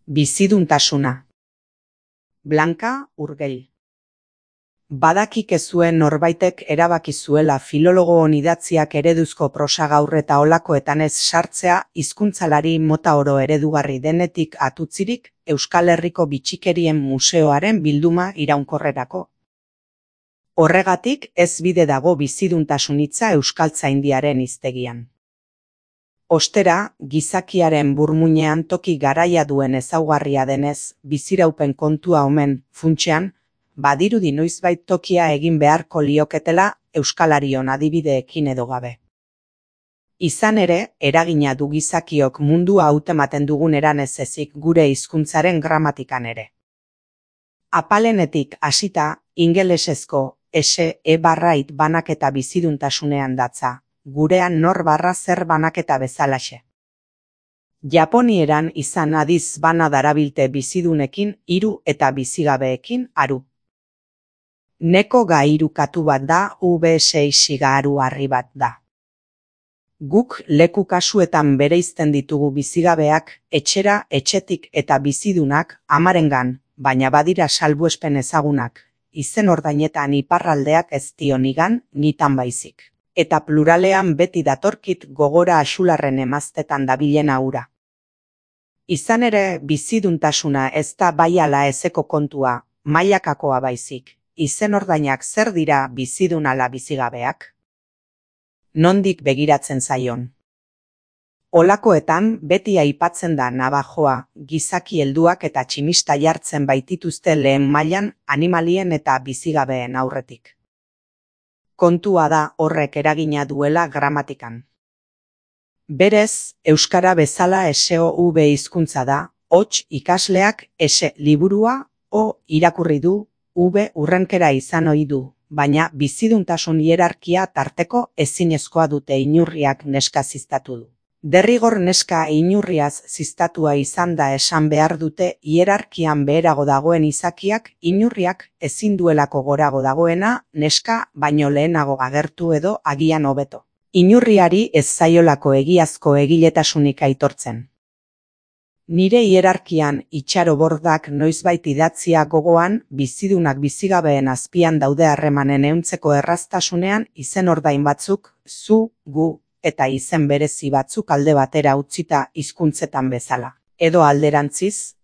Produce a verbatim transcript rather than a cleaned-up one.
Biziduntasuna. Blanka Urgell. Badakik ez zuen norbaitek erabaki zuela filologoon idatziak ereduzko prosa gaur eta olakoetan ez sartzea hizkuntzalari mota oro eredugarri denetik atutzirik Euskal Herriko Bitxikerien Museoaren bilduma iraunkorrerako. Horregatik ez bide dago biziduntasun hitza euskaltzaindiaren hiztegian. Ostera, gizakiaren burmuinean toki garaia duen ezaugarria denez, biziraupen kontua omen, funtsean, badirudi noizbait tokia egin beharko lioketela euskalarion adibideekin edo gabe. Izan ere, eragina du gizakiok mundua hautematen duguneran ez ezik gure hizkuntzaren gramatikan ere. Apalenetik hasita, ingelesezko ese e barrait banaketa biziduntasunean datza, gurean nor barra zer banaketa bezalaxe. Japonieran izan adiz bana darabilte bizidunekin hiru eta bizigabeekin aru. Neko gairu katu bat da, ube seixiga aru harri bat da. Guk leku kasuetan bereizten ditugu bizigabeak, etxera, etxetik eta bizidunak amarengan, baina badira salbuespen ezagunak, izen ordainetan iparraldeak ez dio nigan, nitan baizik. Eta pluralean beti datorkit gogora Axularren emaztetan dabilen hura. Izan ere, biziduntasuna ez da bai ala ezeko kontua, mailakakoa baizik. Izen ordainak zer dira bizidun ala bizigabeak? Nondik begiratzen zaion? Olakoetan beti aipatzen da nabajoa, gizaki helduak eta tximista jartzen baitituzte lehen mailan animalien eta bizigabeen aurretik. Kontua da horrek eragina duela gramatikan. Berez, euskara bezala eseo ube hizkuntza da, hots ikasleak ese liburua o irakurri du, ube urrenkera izan ohi du, baina biziduntasun hierarkia tarteko ezinezkoa dute inurriak neska ziztatu du. Derrigor neska inurriaz ziztatua izan da esan behar dute hierarkian beherago dagoen izakiak inurriak ezin duelako gorago dagoena neska baino lehenago agertu edo agian hobeto. Inurriari ez zaiolako egiazko egiletasunik aitortzen. Nire hierarkian itxarobordak noizbait idatzia gogoan bizidunak bizigabeen azpian daude harremanen ehuntzeko erraztasunean izen ordain batzuk, zu, gu, eta izen berezi batzuk alde batera utzita hizkuntzetan bezala. Edo alderantziz,